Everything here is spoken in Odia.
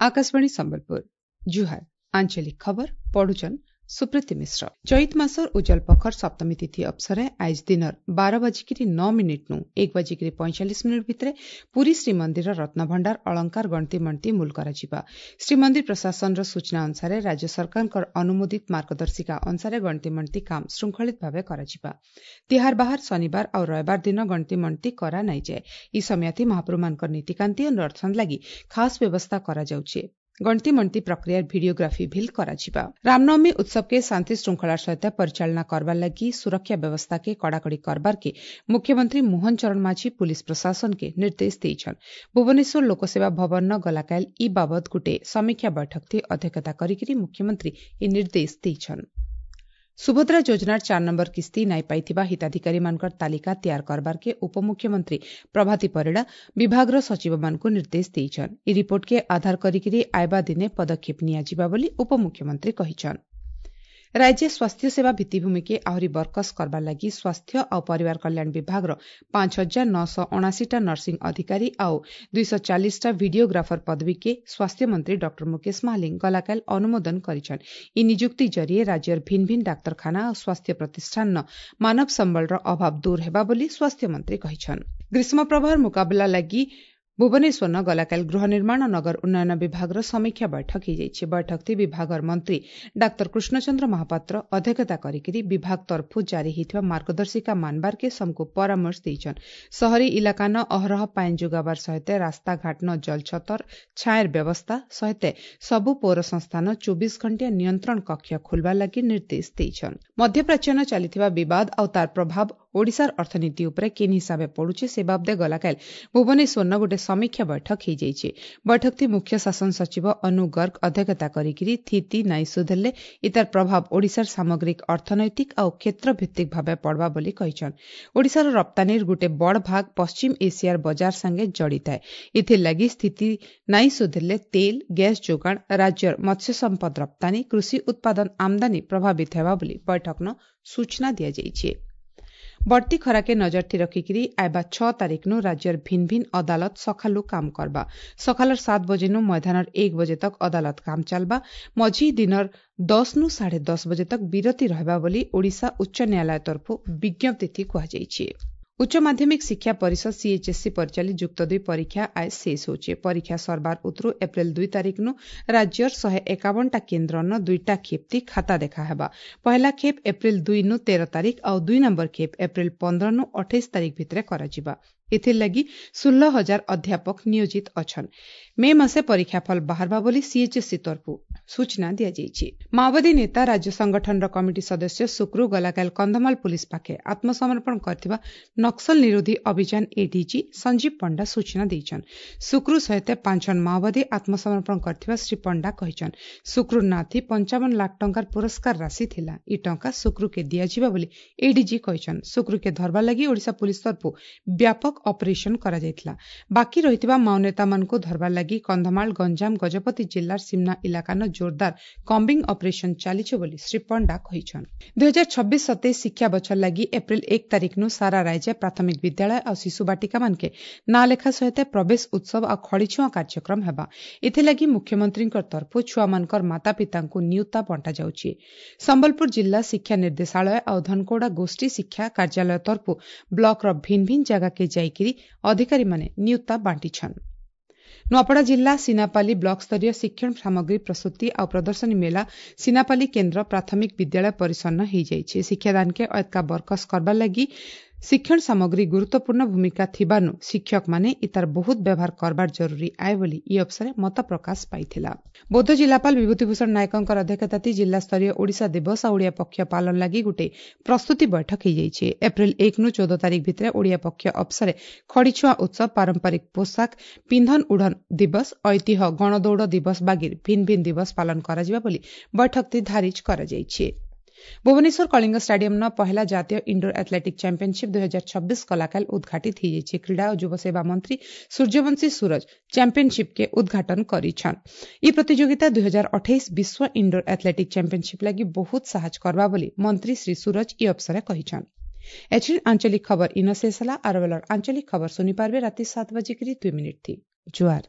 Akashvani Sambalpur ଜୁହାର ଆଞ୍ଚଳିକ ଖବର ପଢୁଛନ୍ ସୁପ୍ରୀତି ମିଶ୍ର। ଚୈତ ମାସର ଉଜଲ ପଖର ସପ୍ତମୀ ତିଥି ଅବସରେ ଆଏଜ ଦିନର 12:09 ନୁ 1:45 ଭିତରେ ପୁରୀ ଶ୍ରୀମନ୍ଦିର ରତ୍ନଭଣ୍ଡାର ଅଳଙ୍କାର ଗଣତି ମଣତି ମୂଲ କରାଯିବା। ଶ୍ରୀମନ୍ଦିର ପ୍ରଶାସନର ସୂଚନା ଅନୁସାରେ ରାଜ୍ୟ ସରକାରଙ୍କର ଅନୁମୋଦିତ ମାର୍ଗଦର୍ଶିକା ଅନୁସାରେ ଗଣତି ମଣତି କାମ ଶୃଙ୍ଖଳିତ ଭାବେ କରାଯିବା। ତିହାର ବାହାର ଶନିବାର ଆଉ ରବିବାର ଦିନ ଗଣତି ମଣତି କରା ନାଇଯାଏ। ଇ ସମୟାତି ମହାପ୍ରଭୁମାନଙ୍କର ନୀତିକାନ୍ତି ଓ ଦର୍ଶନ ଲାଗି ଖାସ୍ ବ୍ୟବସ୍ଥା କରାଯାଉଛି। ଗଣତି ମଣତି ପ୍ରକ୍ରିୟାର ଭିଡିଓଗ୍ରାଫି ଭିଲ୍ କରାଯିବା। ରାମନବମୀ ଉତ୍ସବ କେ ଶାନ୍ତି ଶୃଙ୍ଖଳାର ସହିତ ପରିଚାଳନା କରବାର ଲାଗି ସୁରକ୍ଷା ବ୍ୟବସ୍ଥା କେ କଡ଼ାକଡ଼ି କରବାର କେ ମୁଖ୍ୟମନ୍ତ୍ରୀ ମୋହନ ଚରଣ ମାଝୀ ପୁଲିସ ପ୍ରଶାସନ କେ ନିର୍ଦ୍ଦେଶ ଦେଇଛନ୍। ଭୁବନେଶ୍ୱର ଲୋକସେବା ଭବନ ଗଲାକାଲ ଇ ବାବଦ ଗୁଟେ ସମୀକ୍ଷା ବୈଠକ ଥି ଅଧ୍ୟକ୍ଷତା କରିକିରି ମୁଖ୍ୟମନ୍ତ୍ରୀ ଇ ନିର୍ଦ୍ଦେଶ ଦେଇଛନ୍। ସୁଭଦ୍ରା ଯୋଜନାର 4 ନମ୍ବର କିସ୍ତି ନାଇଁ ପାଇଥିବା ହିତାଧିକାରୀମାନଙ୍କର ତାଲିକା ତିଆର କରବାରକେ ଉପମୁଖ୍ୟମନ୍ତ୍ରୀ ପ୍ରଭାତୀ ପରିଡ଼ା ବିଭାଗର ସଚିବମାନଙ୍କୁ ନିର୍ଦ୍ଦେଶ ଦେଇଛନ୍। ଇ ରିପୋର୍ଟକେ ଆଧାର କରିକିରି ଆଇବା ଦିନେ ପଦକ୍ଷେପ ନିଆଯିବା ବୋଲି ଉପମୁଖ୍ୟମନ୍ତ୍ରୀ କହିଛନ୍। ରାଜ୍ୟ ସ୍ୱାସ୍ଥ୍ୟସେବା ଭିତ୍ତିଭୂମିକେ ଆହୁରି ବରକସ କରବାର ଲାଗି ସ୍ୱାସ୍ଥ୍ୟ ଆଉ ପରିବାର କଲ୍ୟାଣ ବିଭାଗର 5979ଟା ନର୍ସିଂ ଅଧିକାରୀ ଆଉ 240ଟା ଭିଡିଓଗ୍ରାଫର ପଦବୀକେ ସ୍ୱାସ୍ଥ୍ୟମନ୍ତ୍ରୀ ଡକ୍ଟର ମୁକେଶ ମହାଲିଙ୍ଗ ଗଲାକାଲ ଅନୁମୋଦନ କରିଛନ୍। ଇ ନିଯୁକ୍ତି ଜରିଏ ରାଜ୍ୟର ଭିନ୍ନ ଭିନ୍ନ ଡାକ୍ତରଖାନା ଆଉ ସ୍ୱାସ୍ଥ୍ୟ ପ୍ରତିଷ୍ଠାନର ମାନବ ସମ୍ବଳର ଅଭାବ ଦୂର ହେବା ବୋଲି ସ୍ୱାସ୍ଥ୍ୟମନ୍ତ୍ରୀ କହିଛନ୍। ଗ୍ରୀଷ୍ମ ପ୍ରବାହର ମୁକାବିଲା ଲାଗି ଭୁବନେଶ୍ୱର ଗଲାକାଲ ଗୃହ ନିର୍ମାଣ ନଗର ଉନ୍ନୟନ ବିଭାଗର ସମୀକ୍ଷା ବୈଠକ ହୋଇଯାଇଛି। ବୈଠକଥି ବିଭାଗର ମନ୍ତ୍ରୀ ଡାକ୍ତର କୃଷ୍ଣଚନ୍ଦ୍ର ମହାପାତ୍ର ଅଧ୍ୟକ୍ଷତା କରିକିରି ବିଭାଗ ତରଫୁ ଜାରି ହୋଇଥିବା ମାର୍ଗଦର୍ଶିକା ମାନବାରକେ ସମକୁ ପରାମର୍ଶ ଦେଇଛନ୍। ସହରୀ ଇଲାକାନ ଅହରହ ପାଏନ୍ ଯୋଗାବାର ସହିତ ରାସ୍ତାଘାଟନ ଜଳଛତର ଛାଏର ବ୍ୟବସ୍ଥା ସହିତ ସବୁ ପୌର ସଂସ୍ଥାନ 24 ଘଣ୍ଟିଆ ନିୟନ୍ତ୍ରଣ କକ୍ଷ ଖୋଲବାର ଲାଗି ନିର୍ଦ୍ଦେଶ ଦେଇଛନ୍। ମଧ୍ୟପ୍ରାଚ୍ୟନ ଚାଲିଥିବା ବିବାଦ ଆଉ ତାର ପ୍ରଭାବ ଓଡ଼ିଶାର ଅର୍ଥନୀତି ଉପରେ କେନ୍ ହିସାବେ ପଡୁଛି ସେ ବାବଦେ ଗଲାକାଲ ଭୁବନେଶ୍ୱରନ ଗୋଟେ ସମୀକ୍ଷା ବୈଠକ ହୋଇଯାଇଛି। ବୈଠକଥି ମୁଖ୍ୟ ଶାସନ ସଚିବ ଅନୁ ଗର୍ଗ ଅଧ୍ୟକ୍ଷତା କରିକିରି ଥିତି ନାଇଁ ସୁଧରିଲେ ଇତାର ପ୍ରଭାବ ଓଡ଼ିଶାର ସାମଗ୍ରିକ ଅର୍ଥନୈତିକ ଆଉ କ୍ଷେତ୍ରଭିତ୍ତିକ ଭାବେ ପଡ଼ବା ବୋଲି କହିଛନ୍। ଓଡ଼ିଶାର ରପ୍ତାନୀର ଗୋଟେ ବଡ଼ ଭାଗ ପଶ୍ଚିମ ଏସିଆର ବଜାର ସାଙ୍ଗେ ଜଡ଼ିଥାଏ। ଏଥିର୍ଲାଗି ସ୍ଥିତି ନାଇଁ ସୁଧରିଲେ ତେଲ, ଗ୍ୟାସ୍ ଯୋଗାଣ, ରାଜ୍ୟର ମତ୍ସ୍ୟ ସମ୍ପଦ ରପ୍ତାନୀ, କୃଷି ଉତ୍ପାଦନ ଆମଦାନୀ ପ୍ରଭାବିତ ହେବା ବୋଲି ବୈଠକନ ସୂଚନା ଦିଆଯାଇଛି। ବଢ଼ତି ଖରାକେ ନଜରଥି ରଖିକିରି ଆଇବା 6 ତାରିଖନୁ ରାଜ୍ୟର ଭିନ୍ନ ଭିନ୍ନ ଅଦାଲତ ସକାଲୁ କାମ କରବା। ସକାଲର 7 ବଜେନୁ ମଇଦାନର 1 ବଜେ ତକ ଅଦାଲତ କାମ ଚାଲବା। ମଝି ଦିନର 10 ନୁ 10:30 ବଜେ ତକ ବିରତି ରହିବା ବୋଲି ଓଡ଼ିଶା ଉଚ୍ଚ ନ୍ୟାୟାଳୟ ତରଫୁ ବିଜ୍ଞପ୍ତି କୁହାଯାଇଛି। ଉଚ୍ଚ ମାଧ୍ୟମିକ ଶିକ୍ଷା ପରିଷଦ ସିଏଚଏସସି ପରିଚାଳିତ ଯୁକ୍ତ 2 ପରୀକ୍ଷା ଆଜ ଶେଷ ହେଉଛି। ପରୀକ୍ଷା ସରବାର ଉତରୁ ଏପ୍ରିଲ 2 ତାରିଖନୁ ରାଜ୍ୟର 151ଟା କେନ୍ଦ୍ରନ 2ଟା ଖେପ୍ତି ଖାତା ଦେଖା ହେବା। ପହଲା ଖେପ୍ ଏପ୍ରିଲ 2 ନୁ 13 ତାରିଖ ଆଉ 2 ନମ୍ବର ଖେପ୍ ଏପ୍ରିଲ 15 ନୁ 28 ତାରିଖ ଭିତରେ କରାଯିବା। ଏଥିର୍ଲାଗି 16,000 ଅଧ୍ୟାପକ ନିୟୋଜିତ ଅଛନ୍। ମେ ମାସେ ପରୀକ୍ଷାଫଳ ବାହାରବା ବୋଲି ସିଏଚଏସସି ତରଫୁ ସୂଚନା ଦିଆଯାଇଛି। ମାଓବାଦୀ ନେତା ରାଜ୍ୟ ସଂଗଠନର କମିଟି ସଦସ୍ୟ ସୁକ୍ରୁ ଗଲାକାଲ କନ୍ଧମାଳ ପୁଲିସ ପାଖେ ଆତ୍ମସମର୍ପଣ କରିଥିବା ନକ୍ସଲ ନିରୋଧୀ ଅଭିଯାନ ଏଡିଜି ସଞ୍ଜୀବ ପଣ୍ଡା ସୂଚନା ଦେଇଛନ୍। ସୁକ୍ରୁ ସହିତ 5 ଜଣ ମାଓବାଦୀ ଆତ୍ମସମର୍ପଣ କରିଥିବା ଶ୍ରୀ ପଣ୍ଡା କହିଛନ୍। ସୁକ୍ରୁ ନାଥି 55 ଲାଖ ଟଙ୍କାର ପୁରସ୍କାର ରାଶି ଥିଲା। ଇ ଟଙ୍କା ସୁକ୍ରୁକେ ଦିଆଯିବା ବୋଲି ଏଡିଜି କହିଛନ୍। ସୁକ୍ରୁକେ ଧରବା ଲାଗି ଓଡ଼ିଶା ପୁଲିସ ତରଫୁ ବ୍ୟାପକ ଅପରେସନ କରାଯାଇଥିଲା। ବାକି ରହିଥିବା ମାଓନେତାମାନଙ୍କୁ ଧରବା ଲାଗି କନ୍ଧମାଳ, ଗଞ୍ଜାମ, ଗଜପତି ଜିଲ୍ଲାର ସୀମନା ଇଲାକାନ ଜୋରଦାର କମ୍ବିଂ ଅପରେସନ ଚାଲିଛି ବୋଲି ଶ୍ରୀ ପଣ୍ଡା କହିଛନ୍। 2026-27 ଶିକ୍ଷା ବଛର ଲାଗି ଏପ୍ରିଲ 1 ତାରିଖନୁ ସାରା ରାଜ୍ୟ ପ୍ରାଥମିକ ବିଦ୍ୟାଳୟ ଆଉ ଶିଶୁ ବାଟିକାମାନକେ ନାଁ ଲେଖା ସହିତ ପ୍ରବେଶ ଉତ୍ସବ ଆଉ ଖଡ଼ିଛୁଆଁ କାର୍ଯ୍ୟକ୍ରମ ହେବା। ଏଥିଲାଗି ମୁଖ୍ୟମନ୍ତ୍ରୀଙ୍କ ତରଫୁ ଛୁଆମାନଙ୍କର ମାତାପିତାଙ୍କୁ ନିୟୁତା ବଣ୍ଟାଯାଉଛି। ସମ୍ବଲପୁର ଜିଲ୍ଲା ଶିକ୍ଷା ନିର୍ଦ୍ଦେଶାଳୟ ଆଉ ଧନକୋଡ଼ା ଗୋଷ୍ଠୀ ଶିକ୍ଷା କାର୍ଯ୍ୟାଳୟ ତରଫୁ ବ୍ଲକର ଭିନ୍ନ ଭିନ୍ନ ଜାଗାକେ ଯାଇକିରି ଅଧିକାରୀମାନେ ନିୟୁତା ବାଣ୍ଟିଛନ୍। ନୂଆପଡ଼ା ଜିଲ୍ଲା ସିନାପାଲି ବ୍ଲକ ସ୍ତରୀୟ ଶିକ୍ଷଣ ସାମଗ୍ରୀ ପ୍ରସ୍ତୁତି ଆଉ ପ୍ରଦର୍ଶନୀ ମେଳା ସିନାପାଲି କେନ୍ଦ୍ର ପ୍ରାଥମିକ ବିଦ୍ୟାଳୟ ପରିସରନ ହୋଇଯାଇଛି। ଶିକ୍ଷାଦାନକେ ଅଏତକା ବରକସ କରବାର ଲାଗି ଶିକ୍ଷଣ ସାମଗ୍ରୀ ଗୁରୁତ୍ୱପୂର୍ଣ୍ଣ ଭୂମିକା ଥିବାନୁ ଶିକ୍ଷକମାନେ ଇତାର ବହୁତ ବ୍ୟବହାର କରବାର ଜରୁରୀ ଆଏ ବୋଲି ଇ ଅବସରେ ମତ ପ୍ରକାଶ ପାଇଥିଲା। ବୌଦ୍ଧ ଜିଲ୍ଲାପାଳ ବିଭୂତିଭୂଷଣ ନାୟକଙ୍କର ଅଧ୍ୟକ୍ଷତାତି ଜିଲ୍ଲାସ୍ତରୀୟ ଓଡ଼ିଶା ଦିବସ ଆଉ ଓଡ଼ିଆ ପକ୍ଷ ପାଳନ ଲାଗି ଗୋଟେ ପ୍ରସ୍ତୁତି ବୈଠକ ହୋଇଯାଇଛି। ଏପ୍ରିଲ 1 ନୁ 14 ତାରିଖ ଭିତରେ ଓଡ଼ିଆ ପକ୍ଷ ଅବସରେ ଖଡ଼ିଛୁଆଁ ଉତ୍ସବ, ପାରମ୍ପରିକ ପୋଷାକ ପିନ୍ଧନ ଉଢ଼ନ ଦିବସ, ଐତିହ୍ୟ ଗଣଦୌଡ଼ ଦିବସ ବାଗିର ଭିନ୍ନ ଭିନ୍ନ ଦିବସ ପାଳନ କରାଯିବା ବୋଲି ବୈଠକଟି ଧାରିଜ କରାଯାଇଛି। ଭୁବନେଶ୍ୱର କଳିଙ୍ଗ ଷ୍ଟାଡିୟମର ପହିଲା ଜାତୀୟ ଇଣ୍ଡୋର ଆଥଲେଟିକ୍ ଚାମ୍ପିୟନସିପ୍ 2026 ଗଲାକାଲ ଉଦ୍ଘାଟିତ ହୋଇଯାଇଛି। କ୍ରୀଡ଼ା ଓ ଯୁବସେବା ମନ୍ତ୍ରୀ ସୂର୍ଯ୍ୟବଂଶୀ ସୂରଜ ଚାମ୍ପିୟନସିପ୍କେ ଉଦ୍ଘାଟନ କରିଛନ୍। ଇ ପ୍ରତିଯୋଗିତା 2028 ବିଶ୍ୱ ଇଣ୍ଡୋର ଆଥଲେଟିକ୍ ଚାମ୍ପିୟନସିପ୍ ଲାଗି ବହୁତ ସାହାଯ୍ୟ କରବା ବୋଲି ମନ୍ତ୍ରୀ ଶ୍ରୀ ସୂରଜ ଇ ଅବସରେ କହିଛନ୍। एछिन आंचलिक खबर इन शेष होला। आर बेलर आंचलिक खबर सुनी पारबे राति 7:02 थी। जुहार।